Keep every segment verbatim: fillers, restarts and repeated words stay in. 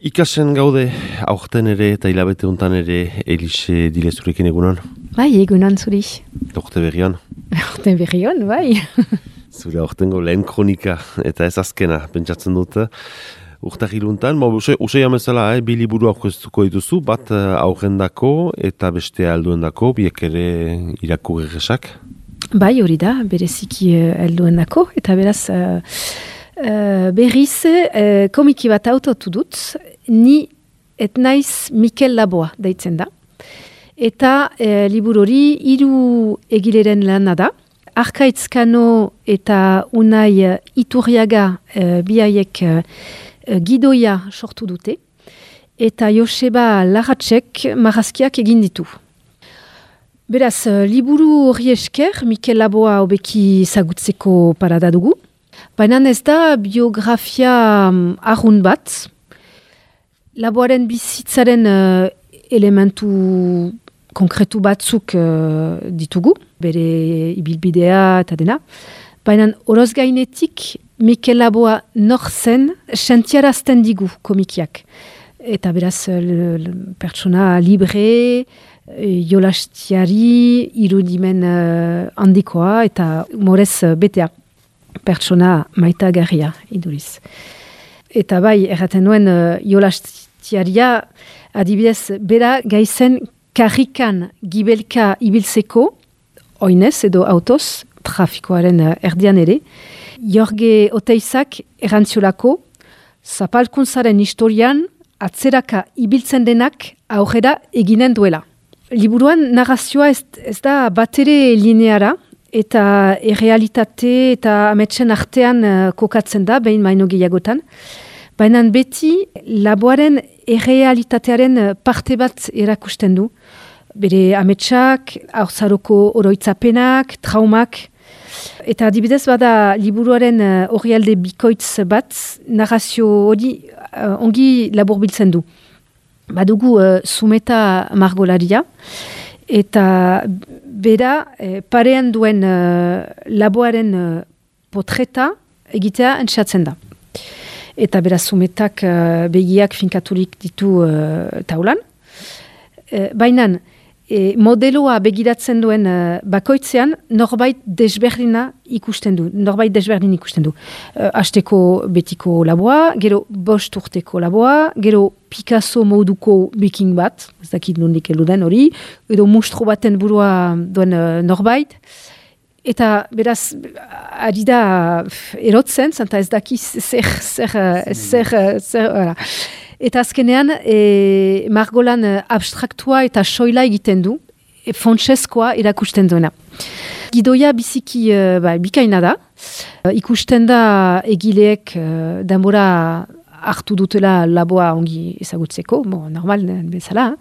Ikasen gaude, aurten ere eta hilabete hontan ere Elise Dilezurekin egunon. Bai, egunon zuri. Urte berrion. Urte berrion, bai. Zure aurtengo lehen kronika eta ez azkena, pentsatzen dut. Urtagiluntan, usai amezala, eh, bi liburu aurkeztuko dituzu, bat aurrendako eta beste alduendako, biek ere irakurgesak. Bai, hori da, bereziki alduendako, eta beraz... Uh, Uh, berriz uh, komiki bat autotu dut, ni et naiz Mikel Laboa deitzen da. Eta uh, liburu hori hiru egileren lana da. Arkaitzkano eta Unai Iturriaga uh, biaiek uh, gidoia sortu dute. Eta Joseba Larratzek marrazkiak egin ditu. Beraz, uh, liburu hori esker, Mikel Laboa hobeki zagutzeko parada dugu. Baina ez da biografia um, arrun bat, Laboaren bizitzaren uh, elementu konkretu batzuk uh, ditugu, bere ibilbidea eta dena. Baina horoz gainetik, Mikel Laboa nor zen sentiarazten digu komikiak. Eta beraz, l- l- pertsona libre, jolastiari, irudimen uh, handikoa eta humorez uh, betea. Pertsona maitagarria iduriz. Eta bai, erraten nuen uh, jolastiaria adibidez bera gaizen karrikan gibelka ibiltzeko, oinez edo autoz, trafikoaren uh, erdian ere, Jorge Oteizak errantziolako, zapalkuntzaren historian atzeraka ibiltzen denak aurrera eginen duela. Liburuan narrazioa ez, ez da batere lineara, eta errealitate eta ametsen artean uh, kokatzen da, behin maino gehiagotan. Baina beti Laboaren errealitatearen parte bat erakusten du. Bere ametsak, haurzaroko oroitzapenak, traumak. Eta adibidez bada liburuaren orrialde uh, bikoitz bat, narrazio hori uh, ongi laburbiltzen du. Badugu uh, Zumeta margolaria, eta bera eh, parean duen uh, Laboaren uh, potreta egitea entxatzen da. Eta beraz Zumetak uh, begiak finkaturik ditu uh, taulan. E, Baina e, modeloa begiratzen duen uh, bakoitzean norbait desberdina ikusten du. Norbait desberdin ikusten du. Uh, Asteko betiko Laboa, gero bost urteko Laboa, gero Picasso moduko biking bat, ez dakit nondik eluden hori, edo mustro baten burua duen uh, norbait. Eta beraz, ari da erotzen, zanta ez daki zer, zer, zer, zer, zer eta azkenean, e, margolan abstraktua eta soila egiten du, e, fontsezkoa erakusten duena. Gidoia biziki uh, ba, bikaina da, uh, ikusten da egileek uh, denbora hartu dutela Laboa ongi ezagutzeko, bon, normal bezala,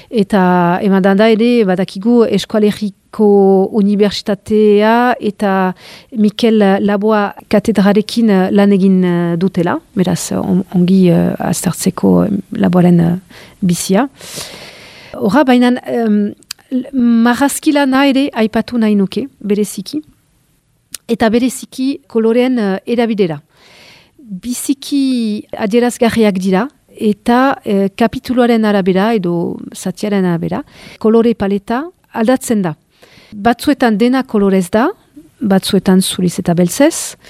eta eman da ere badakigu Eskoaleriko Unibertsitatea eta Mikel Laboa katedrarekin lan egin dutela, beraz ongi uh, aztertzeko Laboaren uh, bizia. Horra, baina um, marrazkilana ere aipatu nahi nuke, bereziki, eta bereziki kolorean uh, erabidera. Biziki adierazgarriak dira, eta e, kapituloaren arabera, edo zatiaren arabera, kolore paleta aldatzen da. Batzuetan dena kolorez da, batzuetan zuriz eta beltzez,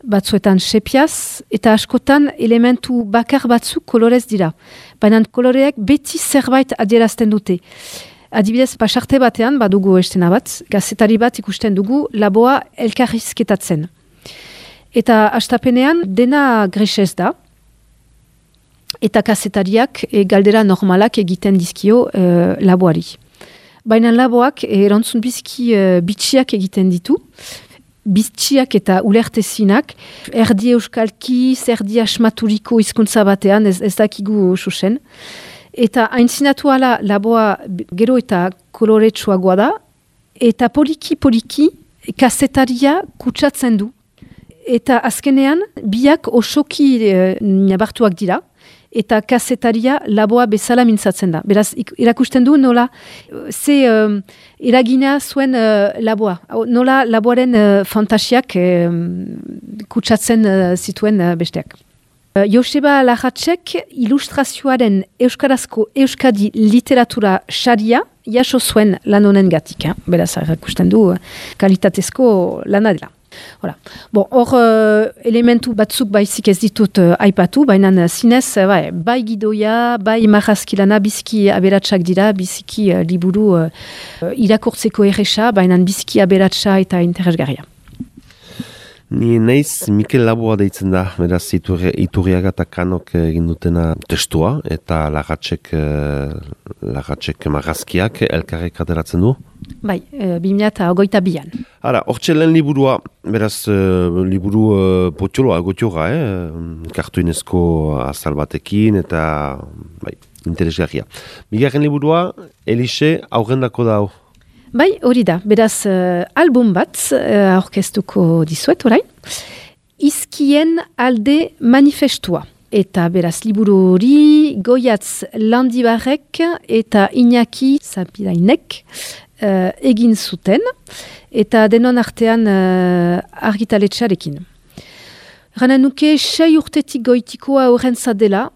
batzuetan sepiaz, eta askotan elementu bakar batzuk kolorez dira. Baina koloreak beti zerbait adierazten dute. Adibidez, pasarte batean, badugu estena bat, gazetari bat ikusten dugu, Laboa elkarrizketatzen. Eta astapenean dena grisez da, eta kazetariak e, galdera normalak egiten dizkio e, Laboari. Baina Laboak erantzun biziki e, bitxiak egiten ditu, bitxiak eta ulertezinak, erdi euskalki, erdi asmaturiko hizkuntza batean, ez, ez dakigu susen. Eta haintzinatu ala Laboa gero eta koloretsuagoa da, eta poliki-poliki kazetaria kutsatzen du. Eta azkenean, biak osoki e, nabartuak dira, eta kazetaria Laboa bezala mintzatzen da. Beraz, irakusten du nola, ze um, eragina zuen uh, Laboa. Nola Laboaren uh, fantasiak uh, kutsatzen uh, zituen uh, besteak. Joseba Larratzek ilustrazioaren euskarazko euskadi literatura saria jaso zuen lan honen gatik. Eh? Beraz, erakusten du kalitatezko lana dela. Hor, bon, uh, elementu batzuk baizik ez ditut uh, aipatu, baina zinez, uh, bai, bai gidoia, bai marrazkilana biziki aberatsak dira, biziki uh, liburu uh, irakurtzeko erresa, baina biziki aberatsa eta interesgarria. Ni naiz Mikel Laboa deitzen da, beraz iturri, Iturriaga eta Kanok egin dutena testua, eta Larratzek, Larratzek marrazkiak elkarrek ateratzen du? Bai, e, bi mila eta hogeita bian. Hala, hortxe lehen liburua, beraz, uh, liburu uh, potxoloa, gotiora, eh? Kartuinezko azal batekin, eta bai, interesgarria. Bigarren liburua, Elixe aurrendako da hau. Bai, hori da, beraz uh, album bat uh, aurkeztuko dizuet orain. Izkien alde manifestua. Eta beraz liburu hori Goiatz Landibarrek eta Iñaki Zapirainek uh, egin zuten. Eta denon artean uh, argitaletxarekin. Gana nuke sei urtetik goitikoa horrentza dela,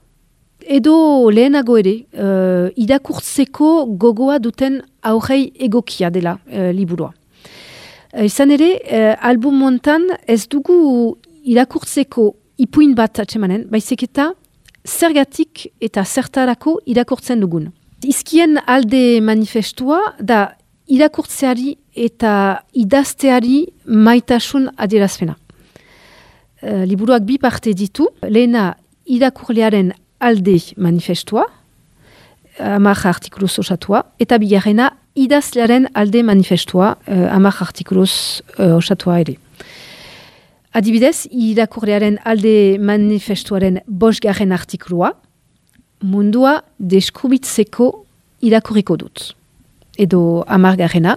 edo lehenago ere, uh, irakurtzeko gogoa duten aurrei egokia dela uh, liburua. Uh, izan ere, uh, album hontan ez dugu irakurtzeko ipuin bat atsemanen, baizik eta zergatik eta zertarako irakurtzen dugun. Izkien alde manifestua da irakurtzeari eta idazteari maitasun adierazpena. Uh, liburuak bi parte ditu, lehena irakurlearen alde manifestua, amak artikuluz osatua, eta bigarrena idazlearen alde manifestua, uh, amak artikuluz uh, osatua ere. Adibidez, irakurlearen alde manifestuaren bosgarren artikulua, mundua deskubitzeko irakurriko dut. Edo amargarrena,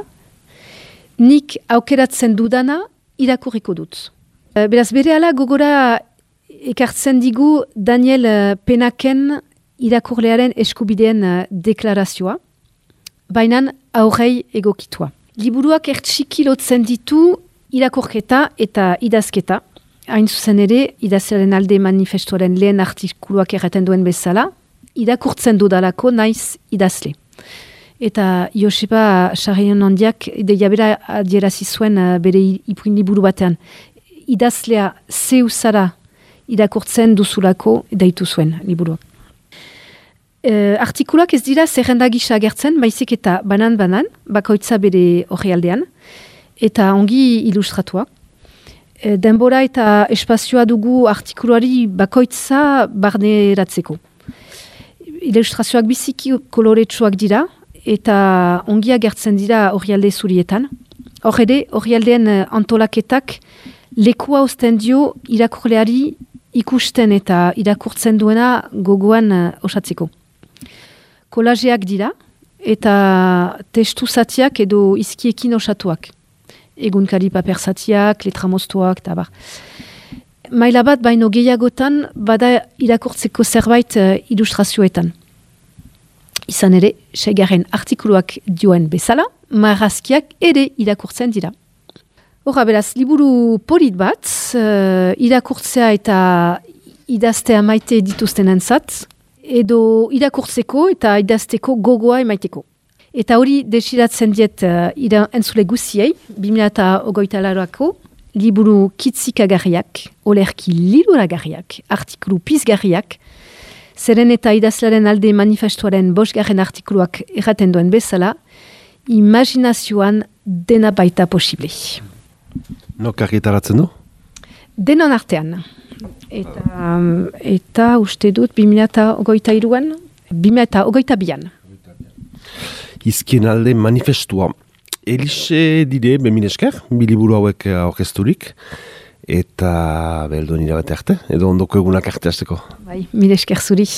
nik aukeratzen dudana irakurriko dut. Uh, beraz, berehala gogora ekartzen digu Daniel Penaken irakurlearen eskubideen deklarazioa, bainan aurrei egokitua. Liburuak ertxiki lotzen ditu irakurketa eta idazketa, hain zuzen ere idazlearen alde manifestuaren lehen artikuluak erraten duen bezala, irakurtzen dudalako naiz idazle. Eta Joseba Sarrion handiak ideia bera adierazi zuen bere ipuin liburu batean, idazlea zeu zara irakurtzen duzulako daitu zuen liburuak. E, artikuluak ez dira zerrenda gisa agertzen, baizik eta banan-banan, bakoitza bere orrialdean, eta ongi ilustratuak. E, denbora eta espazioa dugu artikuluari bakoitza barneratzeko. Ilustrazioak biziki koloretsuak dira, eta ongi agertzen dira orrialde zurietan. Hor ere, orrialdeen antolaketak lekua osten dio irakurleari ikusten eta irakurtzen duena gogoan uh, osatzeko. Kolajeak dira eta testu zatiak edo izkiekin osatuak. Egunkari paper zatiak, letra moztuak, eta bar. Maila bat baino gehiagotan bada irakurtzeko zerbait uh, ilustrazioetan. Izan ere, seigarren artikuluak dioen bezala, marrazkiak ere irakurtzen dira. Horra, beraz, liburu polit bat, uh, irakurtzea eta idaztea maite dituzten entzat, edo irakurtzeko eta idazteko gogoa emaiteko. Eta hori desiratzen diet uh, ira, entzule guziei, bi mila eta hogeita lauako, liburu kitzikagarriak, olerki liluragarriak, artikulu pizgarriak, zeren eta idazlaren alde manifestuaren bosgarren artikuluak erraten duen bezala, imaginazioan dena baita posible. Nok argitaratzen du? Denon artean. Eta, eta uste dut bi mila eta hogeita iruan, bi mila eta hogeita bian. Izkien alde manifestua. Elixe dire, bemin esker, biliburu hauek aurkezturik, eta belduen irabate arte, edo ondoko egunak arte hasteko. Bai, mil esker zuri.